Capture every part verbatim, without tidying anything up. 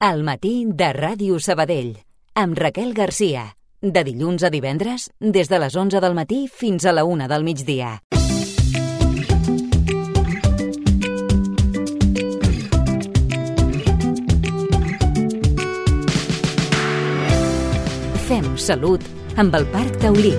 Al matí de Ràdio Sabadell, amb Raquel Garcia. De dilluns a divendres, des de les onze del matí fins a la una del migdia. Fem salut amb el Parc Taulí.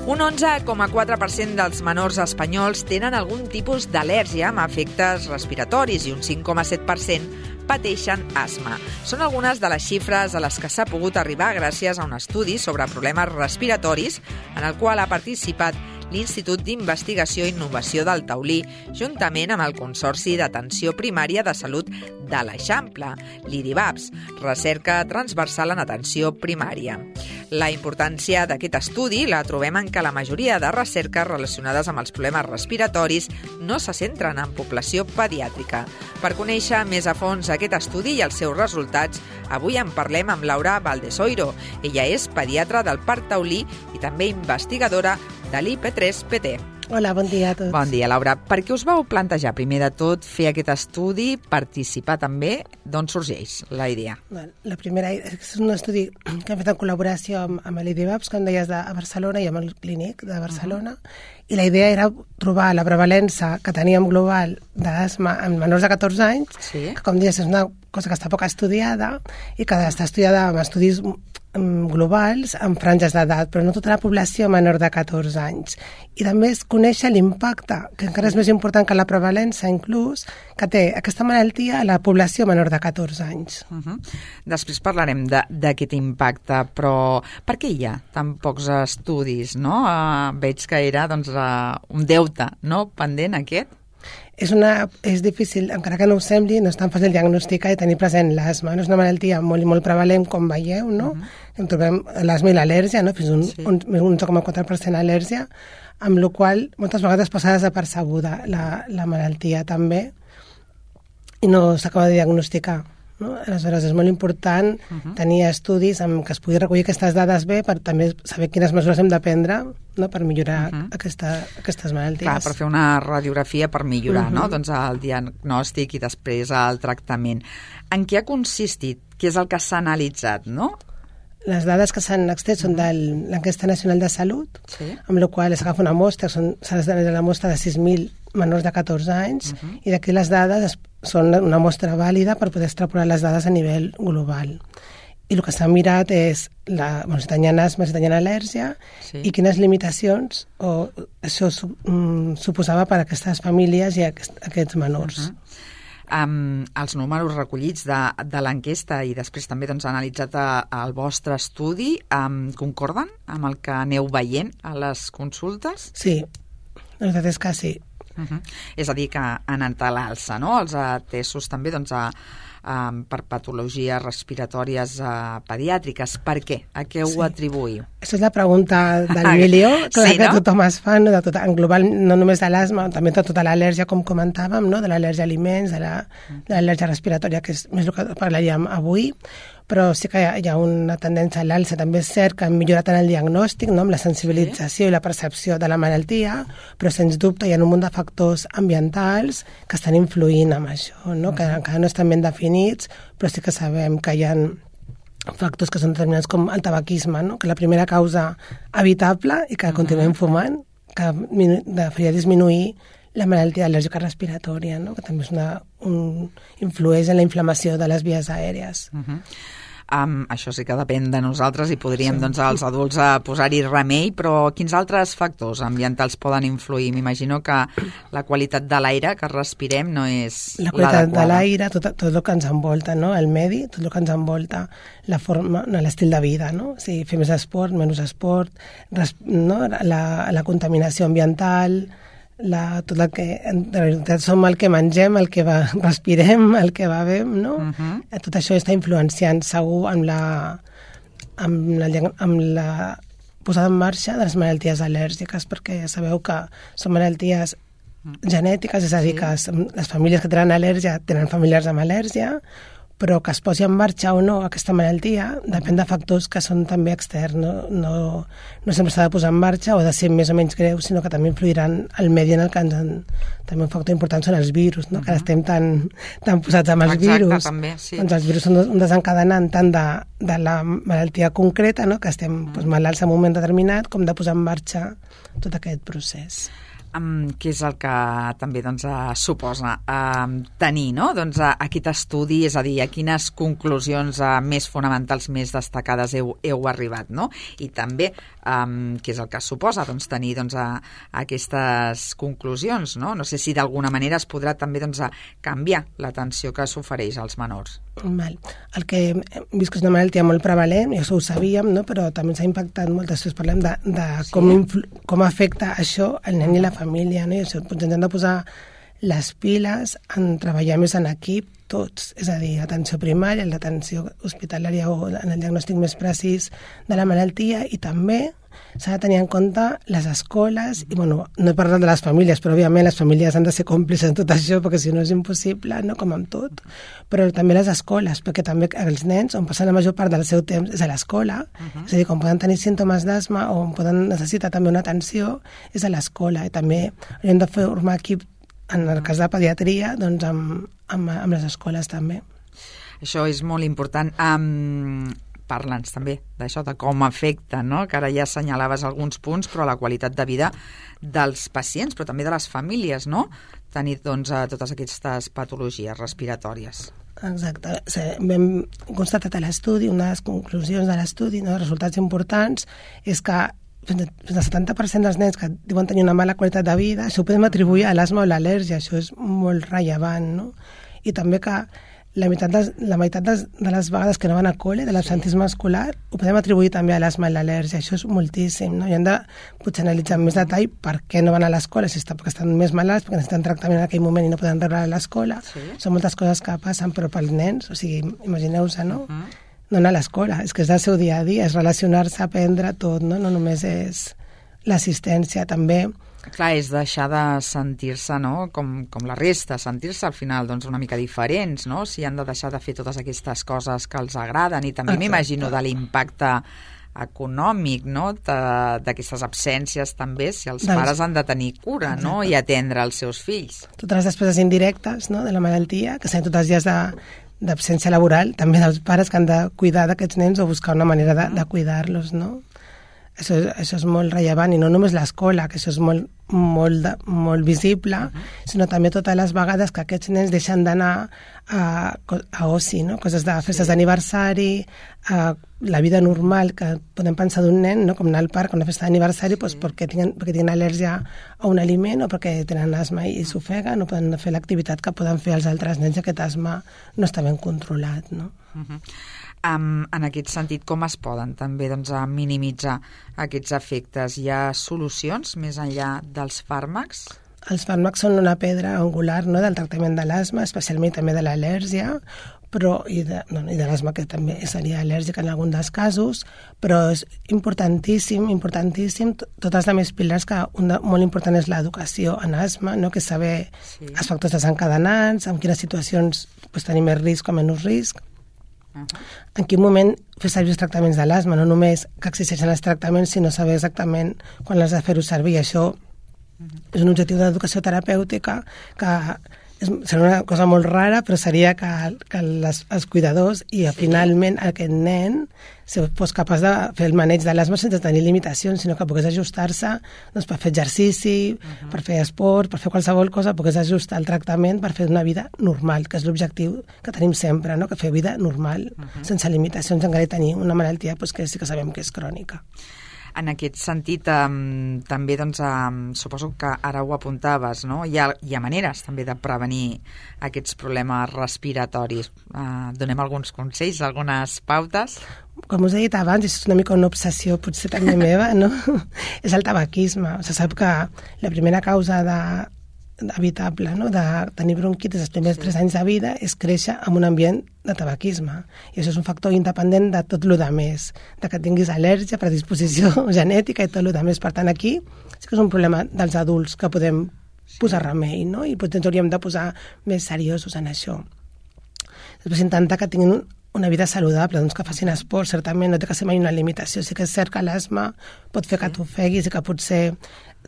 Un onze coma quatre per cent dels menors espanyols tenen algun tipus d'al·lèrgia amb efectes respiratoris i un cinc coma set per cent pateixen asma. Són algunes de les xifres a les que s'ha pogut arribar gràcies a un estudi sobre problemes respiratoris en el qual ha participat l'Institut d'Investigació i Innovació del Taulí, juntament amb el Consorci d'Atenció Primària de Salut de l'Eixample, l'IDIVAPS, recerca transversal en atenció primària. La importància d'aquest estudi la trobem en què la majoria de recerques relacionades amb els problemes respiratoris no se centren en població pediàtrica. Per conèixer més a fons aquest estudi i els seus resultats, avui en parlem amb Laura Valdesoiro. Ella és pediatra del Parc Taulí i també investigadora de l'I P tres P T. Hola, bon dia a tots. Bon dia, Laura. Per què us vau plantejar, primer de tot, fer aquest estudi, participar també? D'on sorgeix la idea? La primera és un estudi que hem fet en col·laboració amb, amb l'IDIVAPS, com deies, de Barcelona i amb el Clínic de Barcelona, uh-huh. i la idea era trobar la prevalença que teníem global d'asma en menors de catorze anys, sí. que, com deies, és una cosa que està poc estudiada i que està estudiada amb estudis globals amb franges d'edat, però no tota la població menor de catorze anys. I també es conèixer l'impacte, que encara és més important que la prevalença, inclús, que té aquesta malaltia a la població menor de catorze anys. Uh-huh. Després parlarem d'aquest impacte, però per què hi ha tan pocs estudis? No? Uh, veig que era doncs, uh, un deute, no? Pendent aquest. És, una, és difícil, encara que no ho sembli, no és tan fàcil diagnosticar i tenir present l'asma. No és una malaltia molt, molt prevalent, com veieu, no? Uh-huh. En trobem l'asma i l'al·lèrgia, no? Fins un, sí. un, un onze coma quatre per cent al·lèrgia, amb la qual moltes vegades passa desapercebuda la, la malaltia també i no s'acaba de diagnosticar. No? Aleshores, és molt important uh-huh. tenir estudis amb què es pugui recollir aquestes dades bé per també saber quines mesures hem de prendre, no? per millorar uh-huh. aquesta, aquestes malalties. Clar, per fer una radiografia per millorar uh-huh. no? doncs el diagnòstic i després el tractament. En què ha consistit? Què és el que s'ha analitzat, no? Les dades que s'han extret són de l'Enquesta Nacional de Salut, sí. amb la qual s'agafa una mostra, s'ha d'analitzar la mostra de sis mil menors de catorze anys, uh-huh. i d'aquí les dades es, són una mostra vàlida per poder extrapolar les dades a nivell global. I el que s'ha mirat és la, bueno, si tenien asma, si tenien al·lèrgia, sí. i quines limitacions o això su, um, suposava per a aquestes famílies i a aquest, aquests menors. Uh-huh. Um, els números recollits de, de l'enquesta i després també doncs, analitzat a, al vostre estudi um, concorden amb el que aneu veient a les consultes? Sí, la veritat és que sí. Uh-huh. És a dir, que han anat a l'alça, no? Els atesos també doncs, a, a, per patologies respiratòries a, pediàtriques. Per què? A què ho sí. atribuïu? Aquesta és la pregunta del milió, que, sí, que no? tothom es fa, no? De tot, en global, no només de l'asma, també de tota l'al·lèrgia, com comentàvem, no? De l'al·lèrgia a aliments, de l'al·lèrgia la, respiratòria, que és més el que parlaríem avui, però sí que hi ha, hi ha una tendència a l'alça. També és cert que hem millorat en el diagnòstic, no? Amb la sensibilització sí. i la percepció de la malaltia, però sens dubte hi ha un munt de factors ambientals que estan influint en això, no? Uh-huh. Que encara no estan ben definits, però sí que sabem que hi ha factors que són determinats com el tabaquisme, no? Que la primera causa evitable i que uh-huh. continuem fumant, que faria disminuir la malaltia al·lèrgica respiratòria, no? Que també és una, un, influeix en la inflamació de les vies aèries. Uh-huh. Um, això sí que depèn de nosaltres i podríem, sí. doncs, els adults a posar-hi remei, però quins altres factors ambientals poden influir? M'imagino que la qualitat de l'aire que respirem no és la qualitat l'adequada. de l'aire, tot, tot el que ens envolta, no? El medi, tot el que ens envolta, la forma, no, l'estil de vida, no? O sigui, fer més esport, menys esport, res, no? la, la contaminació ambiental, la, tot el que, en realitat som el que mengem, el que va, respirem, el que bevem, no? Uh-huh. Tot això està influenciant segur amb la, amb la, amb la posada en marxa de les malalties al·lèrgiques, perquè ja sabeu que són malalties genètiques, és a dir, sí. que les famílies que tenen al·lèrgia tenen familiars amb al·lèrgia, però que es posi en marxa o no aquesta malaltia depèn de factors que són també externs, no, no, no sempre s'ha de posar en marxa o de ser més o menys greu, sinó que també influiran el medi en el que ens en... També un factor important són els virus, no? Uh-huh. Que ara estem tan, tan posats amb els Exacte, virus. També, sí. Doncs els virus són un desencadenant tant de, de la malaltia concreta, no? Que estem uh-huh. doncs, malalts en un moment determinat, com de posar en marxa tot aquest procés. Um, què és el que també doncs, uh, suposa uh, tenir no? doncs, uh, aquest estudi, és a dir, a quines conclusions uh, més fonamentals, més destacades heu, heu arribat, no? I també um, què és el que suposa doncs, tenir doncs, uh, aquestes conclusions, no? No sé si d'alguna manera es podrà també doncs, uh, canviar l'atenció que s'ofereix als menors. Val. El que hem vist que és una malaltia molt prevalent, i això ho sabíem, no? Però també ens ha impactat molt, després parlem de, de sí. com, influ, com afecta això al nen i la família, no? I això, doncs ens hem de posar les piles en treballar més en equip tots, és a dir, l'atenció primària, l'atenció hospitalària o en el diagnòstic més precís de la malaltia, i també s'ha de tenir en compte les escoles, i bueno, no he parlat de les famílies, però òbviament les famílies han de ser còmplices en tot això, perquè si no és impossible, no? Com amb tot, però també les escoles, perquè també els nens, on passen la major part del seu temps és a l'escola, uh-huh. és a dir, quan poden tenir símptomes d'asma o on poden necessitar també una atenció, és a l'escola, i també hem de formar equip en el cas de pediatria, doncs amb, amb, amb les escoles també. Això és molt important. Um, Parla'ns també d'això, de com afecta, no? Que ara ja assenyalaves alguns punts, però la qualitat de vida dels pacients, però també de les famílies, no? Tenir doncs, totes aquestes patologies respiratòries. Exacte. Vam constatat a l'estudi, una de les conclusions de l'estudi, no, els resultats importants, és que fins al setanta per cent dels nens que diuen tenir una mala qualitat de vida, això ho podem atribuir a l'asma o l'al·lèrgia, això és molt rellevant, no? I també que la meitat, de, la meitat de, de les vegades que no van a col·le, de l'absentisme escolar, ho podem atribuir també a l'asma i l'al·lèrgia, això és moltíssim, no? I hem de potser analitzar amb més detall per què no van a l'escola, si està perquè estan més malalts, perquè necessiten tractament en aquell moment i no poden rebre a l'escola. Sí. Són moltes coses que passen, però pels nens, o sigui, imagineu-se, no? Uh-huh. No anar a l'escola, és que és el seu dia a dia, és relacionar-se, aprendre tot, no? No només és l'assistència, també. Clar, és deixar de sentir-se, no?, com, com la resta, sentir-se al final doncs, una mica diferents, no?, si han de deixar de fer totes aquestes coses que els agraden, i també m'imagino de l'impacte econòmic, no?, d'aquestes absències també, si els doncs, pares han de tenir cura, exacte. No?, i atendre els seus fills. Totes les despeses indirectes, no?, de la malaltia, que seran tots els dies de d'absència laboral, també dels pares que han de cuidar d'aquests nens o buscar una manera de, de cuidar-los, no? Això, això és molt rellevant, i no només l'escola, que això és molt, molt, de, molt visible, uh-huh. sinó també totes les vegades que aquests nens deixen d'anar a, a oci, no? Coses de festes sí. d'aniversari, a la vida normal que podem pensar d'un nen, no? Com anar al parc a una festa d'aniversari, sí. doncs perquè tenen, perquè tenen al·lèrgia a un aliment o perquè tenen asma i s'ofeguen, no poden fer l'activitat que poden fer els altres nens, i aquest asma no està ben controlat, no? Uh-huh. Um, en aquest sentit, com es poden també doncs, a minimitzar aquests efectes? Hi ha solucions més enllà dels fàrmacs? Els fàrmacs són una pedra angular, no?, del tractament de l'asma, especialment també de l'al·lèrgia, però, i de, no, i de l'asma, que també seria al·lèrgica en algun dels casos, però és importantíssim, importantíssim, totes les més pilars, que un de, molt important és l'educació en asma, no?, que és saber sí. els factors desencadenants, en quines situacions pues, tenir més risc o menys risc, en quin moment fer servir els tractaments de l'asma, no només que existeixen els tractaments, sinó saber exactament quan has de fer-ho servir. Això és un objectiu d'educació terapèutica que és, serà una cosa molt rara, però seria que, que les, els cuidadors i sí. finalment aquest nen fos capaç de fer el maneig de l'asma sense tenir limitacions, sinó que pogués ajustar-se doncs, per fer exercici, uh-huh. per fer esport, per fer qualsevol cosa, pogués ajustar el tractament per fer una vida normal, que és l'objectiu que tenim sempre, no? Que fer vida normal, uh-huh. sense limitacions, encara tenir una malaltia doncs, que sí que sabem que és crònica. En aquest sentit, um, també doncs, um, suposo que ara ho apuntaves, no? Hi ha, hi ha maneres també de prevenir aquests problemes respiratoris. Uh, donem alguns consells, algunes pautes? Com us he dit abans, és una mica una obsessió potser també meva, no? És el tabaquisme. Se sap que la primera causa de evitable, no?, de tenir bronquitis els primers sí. tres anys de vida és créixer en un ambient de tabaquisme. I això és un factor independent de tot el que més, de que tinguis al·lèrgia, predisposició genètica i tot el que més. Per tant, aquí sí que és un problema dels adults que podem posar remei, no? I potser ens hauríem de posar més seriosos en això. Després intentar que tinguin una vida saludable, doncs que facin esport, certament no té que ser mai una limitació. Sí que és cert que l'asma pot fer que t'ofeguis i que potser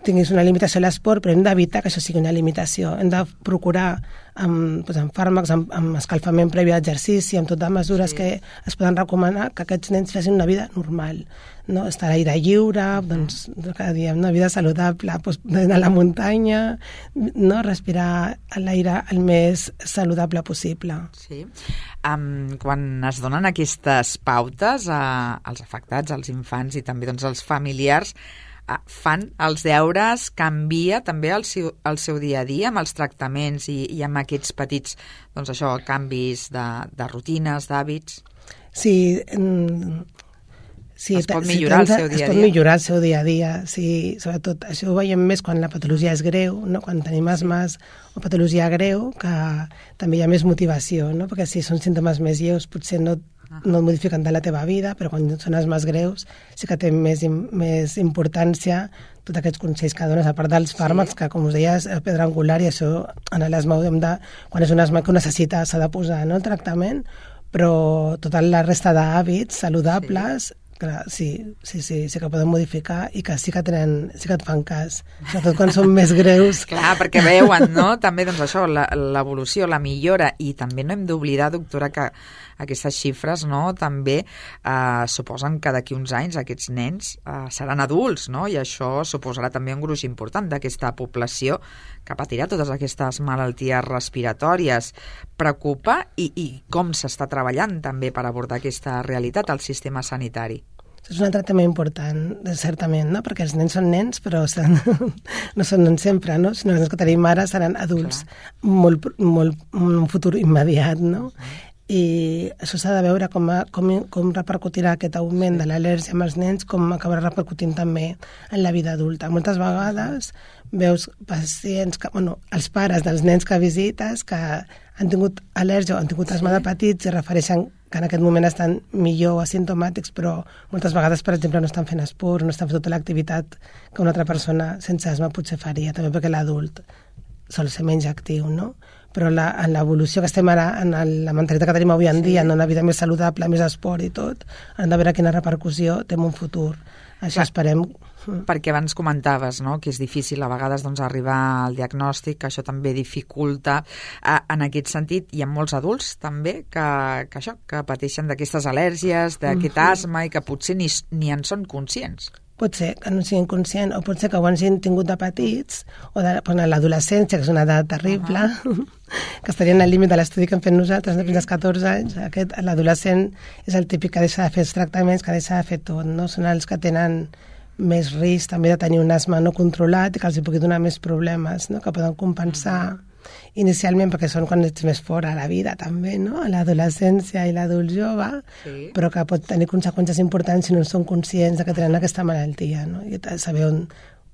tinguis una limitació a l'esport, però hem d'evitar que això sigui una limitació. Hem de procurar amb, doncs, amb fàrmacs, amb, amb escalfament previ a l'exercici, amb totes les mesures sí. que es poden recomanar, que aquests nens facin una vida normal, no? Estar a l'aire lliure, doncs, cada dia una vida saludable, doncs, anar a la muntanya, no? Respirar l'aire el més saludable possible. Sí. Um, quan es donen aquestes pautes a, als afectats, als infants i també doncs, als familiars, fan els deures, canvia també el seu, el seu dia a dia amb els tractaments i, i amb aquests petits doncs això, canvis de, de rutines, d'hàbits? Sí, mm, sí, es pot millorar si el seu dia a dia? Es pot millorar el seu dia a dia, sí, sobretot això ho veiem més quan la patologia és greu, no? Quan tenim asmes o patologia greu, que també hi ha més motivació, no? Perquè si són símptomes més lleus potser no no modifiquen de la teva vida, però quan són els més greus sí que té més, més importància tots aquests consells que dones, a part dels fàrmacs, sí. que com us deia és pedra angular, i això en l'asma hem de, quan és un asma que ho necessita s'ha de posar, no, el tractament, però tota la resta d'hàbits saludables sí. Clar, sí, sí, sí, sí que poden modificar i que sí que tenen, sí que et fan cas, sobretot quan són més greus. Clar, perquè veuen, no?, també doncs això, l'evolució, la millora, i també no hem d'oblidar, doctora, que aquestes xifres, no?, també eh, suposen que d'aquí uns anys aquests nens eh, seran adults, no?, i això suposarà també un gruix important d'aquesta població que patirà totes aquestes malalties respiratòries. Preocupa i, i com s'està treballant també per abordar aquesta realitat al sistema sanitari? És un altre tema important, certament, no? Perquè els nens són nens, però seran, no són nens sempre, no? Sinó que els que tenim ara seran adults molt, molt, un futur immediat, no? I això s'ha de veure com, a, com, com repercutirà aquest augment de l'al·lèrgia amb els nens, com acabarà repercutint també en la vida adulta. Moltes vegades veus pacients, que, bueno, els pares dels nens que visites que han tingut al·lèrgia o han tingut asma de petits i refereixen que en aquest moment estan millor asimptomàtics, però moltes vegades, per exemple, no estan fent esport, no estan fent tota l'activitat que una altra persona sense asma potser faria, també perquè l'adult sol ser menys actiu, no? Però la, en l'evolució que estem ara, en el, la mentalitat que tenim avui en dia, sí. en una vida més saludable, més esport i tot, hem de veure quina repercussió té en un futur. Això Clar. esperem... Perquè abans comentaves, no?, que és difícil a vegades doncs, arribar al diagnòstic, que això també dificulta. En aquest sentit, hi ha molts adults també que, que, això, que pateixen d'aquestes al·lèrgies, d'aquest mm-hmm. asma, i que potser ni, ni en són conscients. Pot ser que no siguin conscients, o pot ser que ho hagin tingut de petits, o de pues, l'adolescència, que és una edat terrible, uh-huh. que estarien al límit de l'estudi que hem fet nosaltres, sí. fins als catorze anys. Aquest, l'adolescent és el típic que deixa de fer els tractaments, que deixa de fer tot, no? Són els que tenen més risc també de tenir un asma no controlat i que els hi pugui donar més problemes, no? Que poden compensar inicialment perquè són quan ets més fora a la vida també, no? A l'adolescència i l'adult jove, sí. però que pot tenir conseqüències importants si no són conscients de que tenen aquesta malaltia, no? I saber on,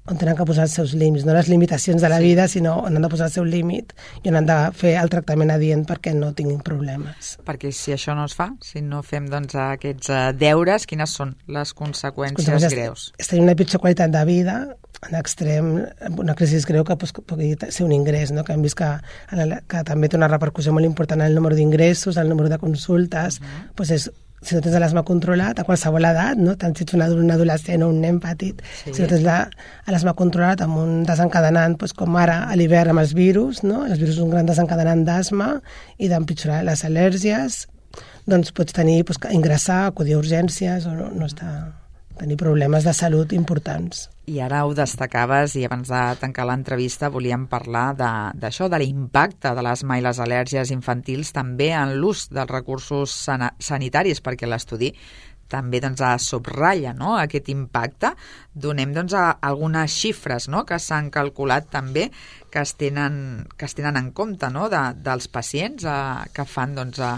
on tenen que posar els seus límits, no les limitacions de la sí. vida, sinó on han de posar el seu límit i on han de fer el tractament adient perquè no tinguin problemes. Perquè si això no es fa, si no fem doncs, aquests uh, deures, quines són les conseqüències, les conseqüències greus? És tenir una pitjor qualitat de vida, en extrem, una crisi greu que pues, pugui ser un ingrés, no? Que hem vist que, que també té una repercussió molt important en el número d'ingressos, el número de consultes, uh-huh. pues és si no tens l'asma controlat, a qualsevol edat, no? Tant si ets un adult, un adolescent o un nen petit, sí. si no tens l'asma controlat amb un desencadenant, doncs, com ara a l'hivern amb els virus, no? Els virus és un gran desencadenant d'asma i d'empitjorar les al·lèrgies, doncs pots tenir, doncs, ingressar, acudir a urgències o no, no està... tenir problemes de salut importants. I ara ho destacaves, i abans de tancar l'entrevista volíem parlar d'això, de, de l'impacte de l'asma i les al·lèrgies infantils també en l'ús dels recursos sana, sanitaris, perquè l'estudi també doncs, subratlla, no?, aquest impacte. Donem doncs, a, algunes xifres, no?, que s'han calculat també que es tenen, que es tenen en compte, no?, de, dels pacients a, que fan doncs, a,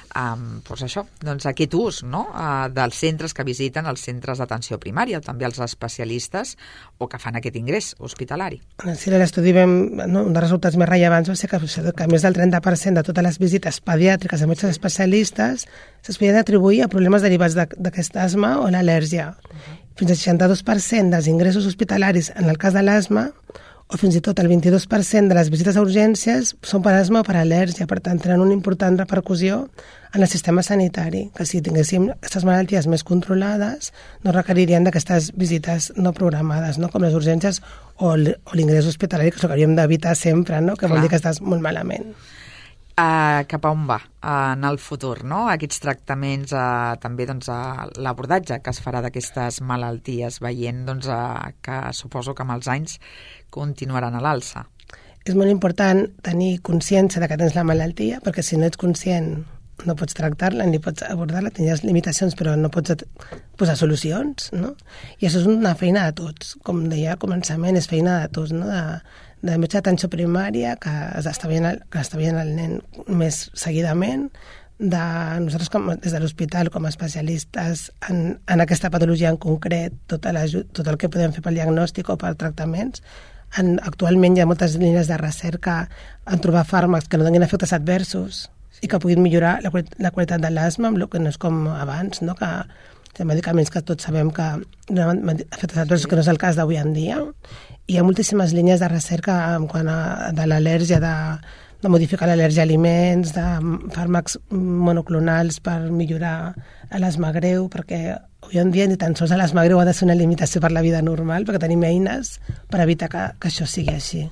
Um, doncs això, doncs aquest ús, no?, uh, dels centres que visiten els centres d'atenció primària, també els especialistes o que fan aquest ingrés hospitalari. Sí, a l'estudi vam, no, un dels resultats més rellevants va ser que, que més del trenta per cent de totes les visites pediàtriques de metges especialistes es podien atribuir a problemes derivats d'aquest asma o l'al·lèrgia. Uh-huh. Fins al seixanta-dos per cent dels ingressos hospitalaris en el cas de l'asma o fins i tot el vint-i-dos per cent de les visites a urgències són per asma o per al·lèrgia, per tant tenen una important repercussió en el sistema sanitari, que si tinguéssim aquestes malalties més controlades no requeririen d'aquestes visites no programades, no? Com les urgències o l'ingrés hospitalari, que és el que hauríem d'evitar sempre, no? Que Clar. Vol dir que estàs molt malament. Uh, cap a on va uh, en el futur, no? Aquests tractaments, uh, també doncs, uh, l'abordatge que es farà d'aquestes malalties, veient doncs, uh, que suposo que amb els anys continuaran a l'alça. És molt important tenir consciència de que tens la malaltia, perquè si no ets conscient no pots tractar-la ni pots abordar-la, tindràs limitacions però no pots posar solucions, no? I això és una feina de tots, com deia al començament, és feina de tots, no? De, de metge d'atenció primària que està veient el, que està veient el nen més seguidament, de nosaltres com, des de l'hospital com a especialistes en, en aquesta patologia en concret, tot, tot el que podem fer pel diagnòstic o per tractaments. En, actualment hi ha moltes línies de recerca en trobar fàrmacs que no donin efectes adversos i que puguin millorar la, la qualitat de l'asma, amb el que no és com abans, no? Que hi ha medicaments que tots sabem que donen efectes adversos, que no és el cas d'avui en dia. Hi ha moltíssimes línies de recerca en quant a de l'al·lèrgia, de, de modificar l'al·lèrgia a aliments, de fàrmacs monoclonals per millorar l'asma greu, perquè avui en dia ni tan sols l'asma greu ha de ser una limitació per la vida normal, perquè tenim eines per evitar que, que això sigui així.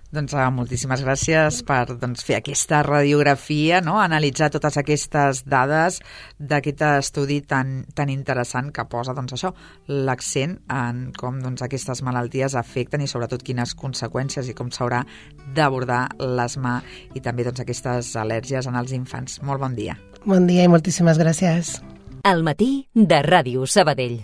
Doncs uh, moltíssimes gràcies per doncs, fer aquesta radiografia, no? Analitzar totes aquestes dades d'aquest estudi tan, tan interessant que posa doncs, això, l'accent en com doncs, aquestes malalties afecten i sobretot quines conseqüències i com s'haurà d'abordar l'asma i també doncs, aquestes al·lèrgies en els infants. Molt bon dia. Bon dia i moltíssimes gràcies. Al matí de Ràdio Sabadell.